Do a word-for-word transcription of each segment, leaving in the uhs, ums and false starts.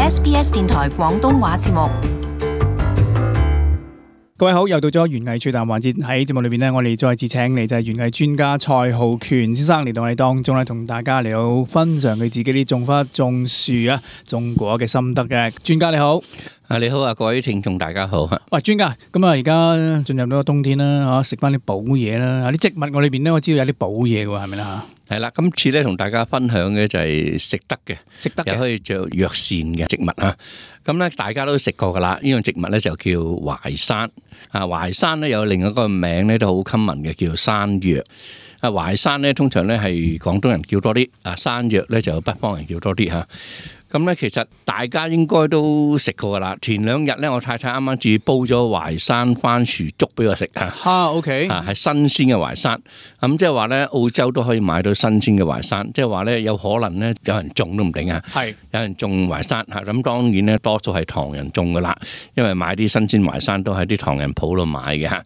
S B S 電台廣東話節目。各位好，又到咗園藝趣談環節。喺節目裏邊呢，我哋再次請嚟就係園藝專家蔡浩權先生嚟到我哋當中咧，同大家嚟到分享佢自己啲種花、種樹啊、種果嘅心得嘅。專家你好。啊，你好啊，各位聽眾大家好。喂，專家，咁啊，而家進入到個冬天啦，吓食翻啲補嘢啦。啲植物我裏邊咧，我知道有啲補嘢嘅，係咪啦吓？係啦，今次咧同大家分享嘅就係食得嘅，食得嘅又可以做藥膳嘅植物啊。咁咧大家都食過噶啦，呢樣植物咧就叫淮山。啊，淮山咧有另一個名咧都好 common嘅，叫山藥。啊，淮山咧通常咧係廣東人叫多啲，啊山藥咧就北方人叫多啲吓。咁咧，其實大家應該都食過噶啦。前兩日咧，我太太啱啱至煲咗淮山番薯粥俾我食啊。嚇 ，OK，啊係新鮮嘅淮山。咁即係話咧，澳洲都可以買到新鮮嘅淮山。即係話咧，有可能咧有人種都唔定啊。係有人種淮山嚇，咁當然咧多數係唐人種噶啦，因為買啲新鮮淮山都喺啲唐人鋪度買嘅嚇。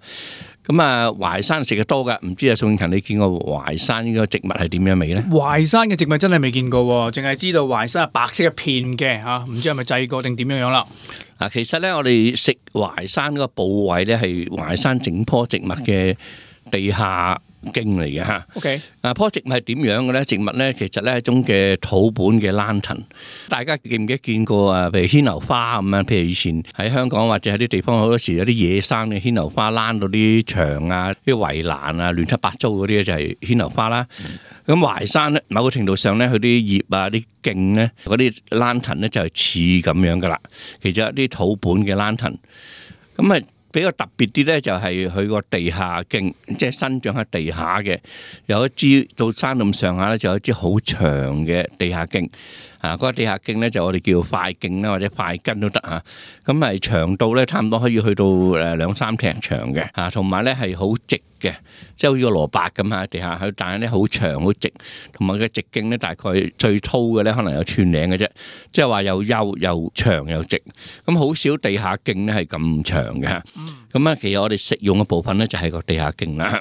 咁啊，淮山食嘅多噶，唔知啊宋慶勤你見過淮山呢個植物係點樣味咧？淮山嘅植物真係未見過，淨係知道淮山係白色一片嘅嚇，唔知係咪製過定點樣樣啦？啊，其實咧我哋食淮山嗰個部位咧係淮山整棵植物嘅地下莖嚟嘅嚇。OK，啊，棵植物係點樣嘅咧？植物咧其實咧係一種嘅土本嘅蘭藤。大家記唔記得見過啊？譬如牽牛花咁樣，譬如以前喺香港或者喺啲地方好多時有啲野生嘅牽牛花躝到啲牆啊、啲圍欄啊、亂七八糟嗰啲咧就係牽牛花啦。咁淮山咧，某個程度上咧，佢啲葉啊、啲莖咧、嗰啲蘭藤咧就係似咁樣噶啦。其實一啲土本嘅蘭藤，咁啊。比較特別啲咧，就係佢個地下莖，即係生長喺地下嘅，有一支到山咁上下咧，就有一支好長嘅地下莖。啊，嗰個地下莖咧就我哋叫塊莖啦，或者塊根都得嚇。咁係長度咧，差唔多可以去到誒兩三尺長嘅。啊，同埋咧係好直嘅，即係好似個蘿蔔咁喺地下，佢但係咧好長好直，同埋個直徑咧大概最粗嘅咧可能有寸零嘅啫，即係話又幼又長又直。咁好少地下莖咧係咁長嘅嚇。咁啊，其實我哋食用嘅部分咧就係個地下莖啦。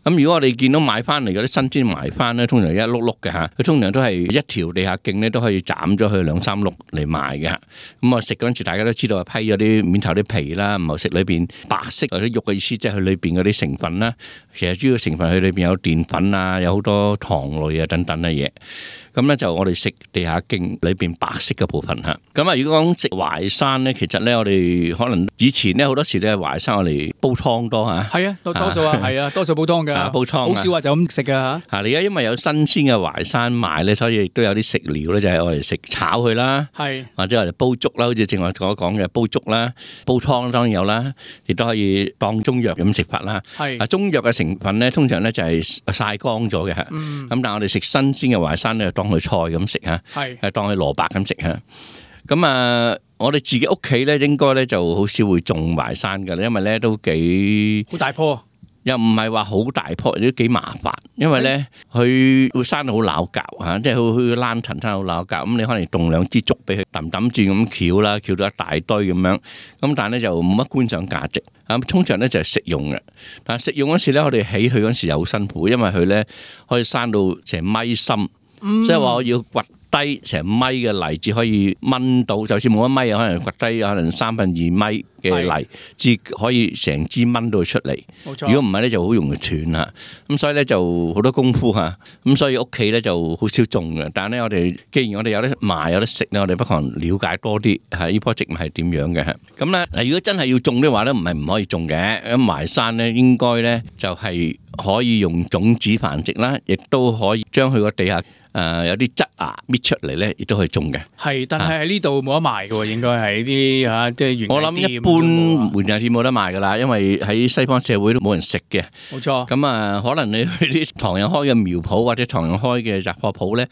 咁如果我哋見到買翻嚟嗰啲新鮮淮番咧，通常一碌碌嘅嚇，佢通常都係一條地下莖咧都可以斬咗佢兩三碌嚟賣嘅嚇。咁我食嗰陣時，大家都知道係批咗啲面頭啲皮啦，唔係食裏邊白色或者肉嘅意思，即係佢裏邊嗰啲成分啦。其實主要成分佢裏邊有澱粉啊，有好多糖類啊等等嘅嘢。咁咧就我哋食地下莖裏邊白色嘅部分嚇。咁啊，如果講食淮山咧，其實咧我哋可能以前咧好多時咧淮山我哋煲湯多嚇。係啊，多多數啊，係啊，多數煲湯㗎，煲湯好少話就咁食㗎嚇。嚇，你而家因為有新鮮嘅淮山賣咧，所以亦都有啲食療咧，就係我哋食炒佢啦，係或者我哋煲粥啦，好似正話我講嘅煲粥啦、煲湯當然有啦，亦都可以當中藥咁食法啦。係啊，中藥嘅成分咧，通常咧就係曬乾咗嘅嚇。嗯。咁但係我哋食新鮮嘅淮山咧，當佢菜咁食嚇，係係當佢蘿蔔咁食嚇。咁啊，我哋自己屋企咧應該咧就好少會種淮山㗎啦，因為咧都幾好大棵。又唔係話好大棵，都幾麻煩，因為咧佢會生到好拗教嚇，即係佢佢爛藤生好拗教，咁你可能凍兩支竹俾佢揼揼轉咁翹啦，翹到一大堆咁樣，咁但係咧就冇乜觀賞價值，啊通常咧就係食用嘅，但係食用嗰時咧我哋起佢嗰時又好辛苦，因為佢咧可以生到成米深，即係話我要掘低成米嘅泥，至可以掹到，就算冇一米，可能掘低可能三分二米嘅泥，至可以成支掹到出嚟。冇錯。如果唔係咧，就好容易斷啦。咁所以咧就好多功夫嚇。咁所以屋企咧就好少種嘅。但係咧，我哋既然我哋有得賣有得食咧，我哋不妨了解多啲係呢棵植物係點樣嘅。咁咧嗱，如果真係要種嘅話咧，唔係唔可以種嘅。咁淮山咧應該咧就係可以用種子繁殖啦，亦都可以將佢個地下。誒、呃、有啲質芽搣出嚟咧，亦都可以種嘅。係，但係喺呢度冇得賣嘅喎，應該係啲嚇即係園藝店。我諗一般園藝店冇得賣㗎啦，因為喺西方社會都冇人食嘅。冇錯。咁啊，可能你去啲唐人開嘅苗圃或者唐人開嘅雜貨鋪咧。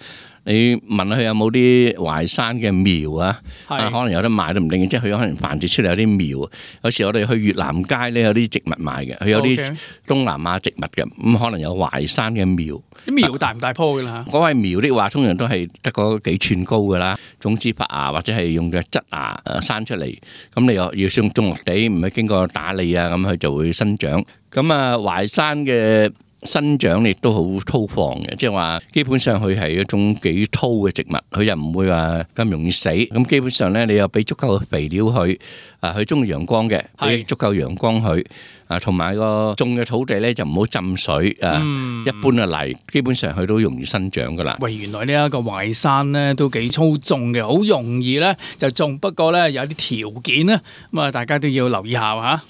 你問下佢有冇啲淮山嘅苗啊？啊，可能有得賣都唔定，即係佢可能繁殖出嚟有啲苗。有時我哋去越南街咧有啲植物賣嘅，佢有啲東南亞植物嘅，咁可能有淮山嘅苗。啲苗大唔大棵㗎啦？嗰位苗的話，通常都係得嗰幾寸高㗎啦，種子發芽或者係用嘅質芽誒生出嚟。咁你又要種種落地，唔係經過打理啊，咁佢就會生長。咁啊，淮山嘅生長亦都好粗放嘅，即係話基本上佢係一種幾粗嘅植物，佢又唔會話咁容易死。咁基本上咧，你又俾足夠嘅肥料佢，啊，佢中意陽光嘅，俾足夠陽光佢，啊，同埋個種嘅土地咧就唔好浸水，啊，一般嘅泥基本上佢都容易生長噶啦。喂，原來呢一個淮山咧都幾粗種嘅，好容易咧就種，不過咧有啲條件咧，咁啊大家都要留意下嚇。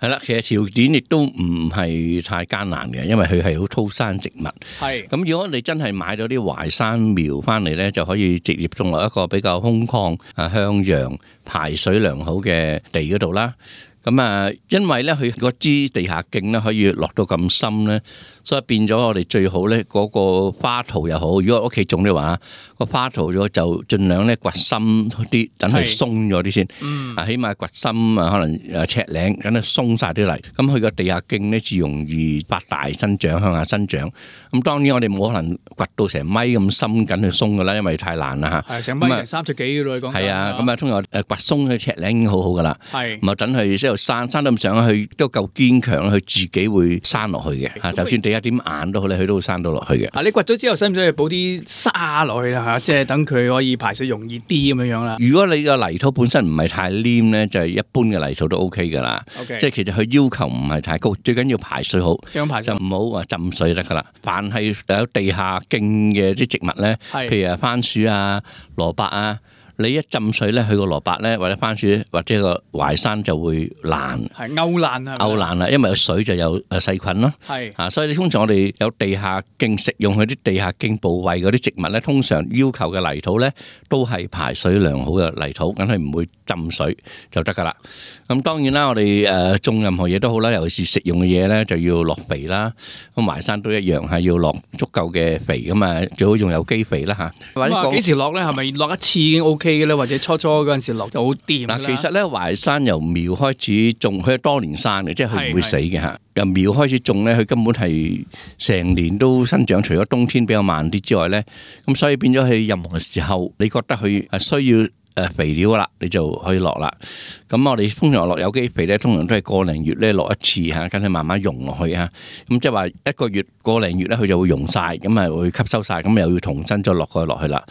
係啦，其實條件亦都唔係太艱難嘅，因為佢係好粗生植物。係咁，如果你真係買到啲淮山苗翻嚟咧，就可以直接種落一個比較空曠、啊向陽、排水良好嘅地嗰度啦。咁啊，因為咧佢嗰支地下徑咧可以落到咁深咧，所以變咗我哋最好咧嗰個花槽又好。如果屋企種嘅話，個花槽咗就盡量咧掘深啲，等佢鬆咗啲先。嗯，啊，起碼掘深啊，可能誒尺零，等佢鬆晒啲泥。咁佢個地下徑咧至容易發大生長，向下生長。咁當然我哋冇可能掘到成米咁深緊去鬆噶啦，因為太難啦嚇。係成米成三尺幾嘅咯，你講。係啊，咁啊，通常誒掘鬆佢尺零已經好好噶啦。係，咁啊等佢即係生生到咁上去，都夠堅強，佢自己會生落去嘅。嚇，就算地下點硬都好咧，佢都會生到落去嘅。啊，你掘咗之後，使唔使去補啲沙落去啦？嚇，即係等佢可以排水容易啲咁樣樣啦。如果你個泥土本身唔係太黏咧，就係一般嘅泥土都 OK 噶啦。OK，即係其實佢要求唔係太高，最緊要排水好，就唔好話浸水得噶啦。凡係有地下徑嘅啲植物咧，譬如啊番薯啊、蘿蔔啊。你一浸水咧，佢個蘿蔔咧或者番薯或者個淮山就會爛，係勾爛啊，勾爛啦，因為有水就有誒細菌咯，係啊，所以通常我哋有地下徑食用佢啲地下徑部位嗰啲植物咧，通常要求嘅泥土咧都係排水良好嘅泥土，梗係唔會浸水就得噶啦。咁當然啦，我哋誒種任何嘢都好啦，尤其是食用嘅嘢咧，就要落肥啦。咁淮山都一樣係要落足夠嘅肥咁啊，最好用有機肥啦嚇。咁啊，幾時落咧？係咪落一次已經 OK？或者初初嗰陣時落就好掂啦。嗱，其實咧淮山由苗開始種，佢係多年生嘅，即係佢唔會死嘅嚇。由苗開始種咧，佢根本係成年都生長，除咗冬天比較慢啲之外咧，咁所以變咗佢任何時候，你覺得佢係需要誒肥料啦，你就可以落啦。咁我哋通常落有機肥咧，通常都係個零月咧落一次嚇，跟住慢慢溶落去嚇。咁即係話一個月個零月咧，佢就會溶晒，咁啊會吸收晒，咁又要重新再落去落去啦。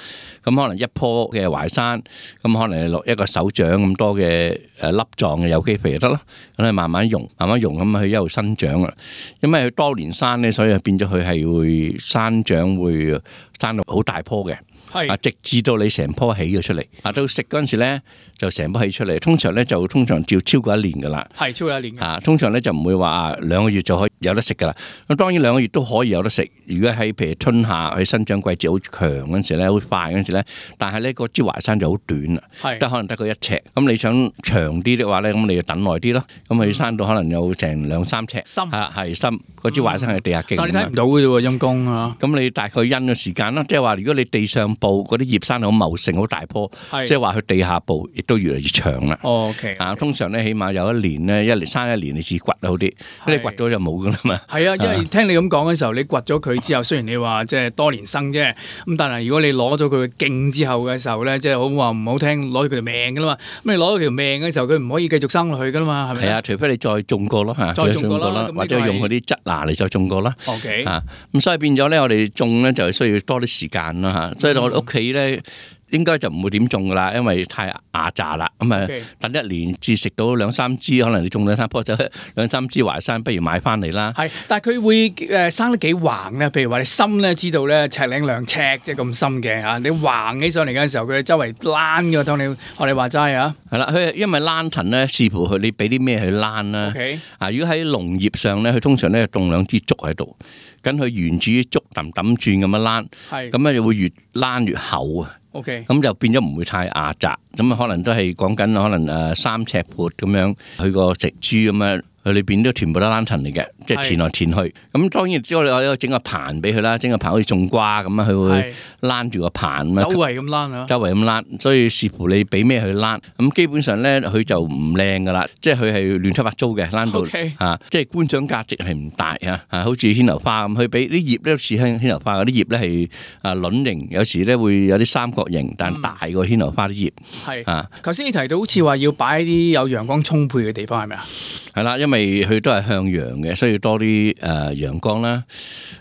咁可能一棵嘅淮山，咁可能落一個手掌咁多嘅誒粒狀嘅有機肥就得咯。咁你慢慢溶，慢慢溶咁佢一路生長啊。因為佢多年生咧，所以變咗佢係會生長會生到好大棵嘅。係啊，直至到你成棵起咗出嚟，啊到食嗰陣時咧就成棵起出嚟。通常咧就通常要超過一年噶啦，係超過一年嘅。啊，通常咧就唔會話啊兩個月就可以有得食噶啦。咁當然兩個月都可以有得食。如果喺譬如春夏佢生長季節好強嗰陣時咧，好快嗰陣時咧，但係咧個支淮山就好短啦，得可能得個一尺。咁你想長啲嘅話咧，咁你就等耐啲咯。咁佢生到可能有成兩三尺，深啊係深。嗰支淮山係地下徑，但係你睇唔到嘅啫喎，陰公啊！咁你大概因嘅時間啦，即係話如果你地上部嗰啲葉生好茂盛、好大棵，即係話佢地下部亦都越嚟越長啦。哦 OK 啊，通常咧起碼有一年咧，一年生一年你至掘好啲，你掘咗就冇噶啦嘛。係啊，因為聽你咁講嘅時候，你掘咗佢之後，雖然你話即係多年生啫，咁但係如果你攞咗佢嘅徑之後嘅時候咧，即係好話唔好聽，攞咗佢條命噶啦嘛。咁你攞咗條命嘅時候，佢唔可以繼續生落去噶啦嘛，係咪？係啊，除非你再種過咯嚇，再種過啦，或者用嗰啲質嗱嚟再種過啦。OK 啊，咁所以變咗咧，我哋種咧就需要多啲時間啦嚇。所以我哋屋企咧。應該就唔會點種噶啦，因為太牙雜啦。咁啊，等一年至食到兩三支，可能你種兩三棵就兩三支淮山，不如買翻嚟啦。係，但係佢會誒生得幾橫咧？譬如話你深咧，知道咧尺零兩尺即係咁深嘅嚇，你橫起上嚟嘅時候，佢周圍躝嘅，當你學你話齋啊。係啦，佢因為躝藤咧，視乎佢你俾啲咩去躝啦。OK，啊，如果喺農業上咧，佢通常咧種兩支竹喺度，跟佢沿住啲竹揼揼轉咁樣躝，係咁咧就會越躝越厚啊。OK，咁就變咗唔會太壓窄，咁啊可能都係講緊可能誒三尺闊咁樣，佢個植株咁樣。佢裏邊都全部都躝藤嚟嘅，即係填來填去。咁當然之後我有整個棚俾佢啦，整個棚好似種瓜咁啊，佢會躝住個棚。周圍咁躝啊！周圍咁躝，所以視乎你俾咩佢躝。咁基本上咧，佢就唔靚噶啦，即係佢係亂七八糟嘅躝到嚇，即係觀賞價值係唔大啊！啊，好似牽牛花咁，佢俾啲葉咧似牽牽牛花嗰啲葉咧係啊卵形，有時咧會有啲三角形，但大過牽牛花啲葉。係啊，頭先你提到好似話要擺喺啲有陽光充沛嘅地方，係咪啊？係啦，因為佢都係向陽嘅，所以多啲誒陽光啦。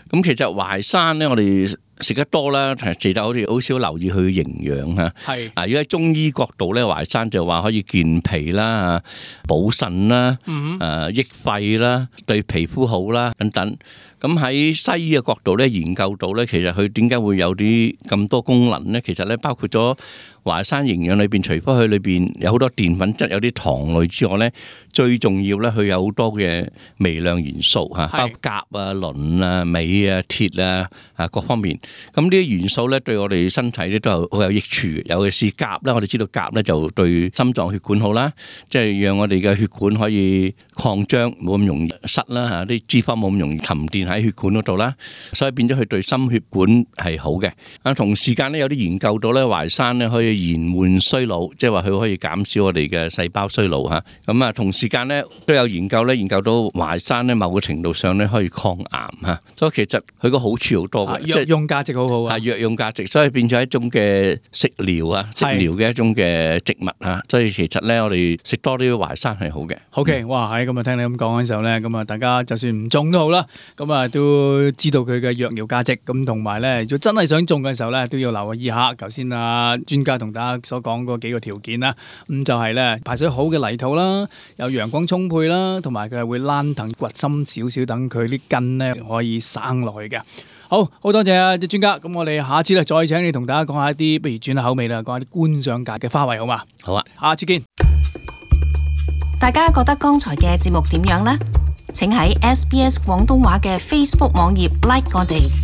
咁其實淮山咧，我哋食得多啦，食得好似好少留意佢嘅營養嚇。係啊，如果喺中醫角度咧，淮山就話可以健脾啦、補腎啦、誒益肺啦、對皮膚好啦等等。咁喺西醫嘅角度咧，研究到咧，其實佢點解會有啲咁多功能咧？其實咧，包括咗淮山營養裏邊，除咗佢裏邊有好多澱粉質、有啲糖類之外咧，最重要咧，佢有好多嘅微量元素嚇，包括鉀啊、磷啊、鎂啊、鐵啊啊各方面。咁呢啲元素咧，對我哋身體咧都係好有益處嘅。尤其是鉀咧，我哋知道鉀咧就對心臟血管好啦，即係讓我哋嘅血管可以擴張，冇咁容易塞啦嚇，啲脂肪冇咁容易沉澱喺血管嗰度啦，所以變咗佢對心血管係好嘅。啊，同時間咧有啲研究到咧，淮山咧可以延緩衰老，即係話佢可以減少我哋嘅細胞衰老嚇。咁啊，同時間咧都有研究咧，研究到淮山咧某個程度上咧可以抗癌嚇，所以其實佢個好處好多嘅，藥用價值好好啊，係藥用價值，所以變咗一種嘅食療啊，食療嘅一種嘅植物嚇。所以其實咧，我哋食多啲淮山係好嘅。OK，哇！喺咁啊，聽你咁講嘅時候咧，咁啊，大家就算唔種都好啦，咁啊都知道佢嘅藥療價值，咁同埋咧，如果真係想種嘅時候咧，都要留意下頭先啊專家同大家所講嗰幾個條件啦。咁就係咧排水好嘅泥土啦，有陽光充沛啦，同埋佢係會躝藤掘深少少，等佢啲根咧可以生落去嘅。好，好多謝啊啲專家，咁我哋下次咧再請你同大家講下一啲，不如轉下口味啦，講下啲觀賞界嘅花卉好嘛？好啊，下次見。大家覺得剛才嘅節目點樣呢？請喺 S B S 廣東話嘅 Facebook 網頁 like 我哋。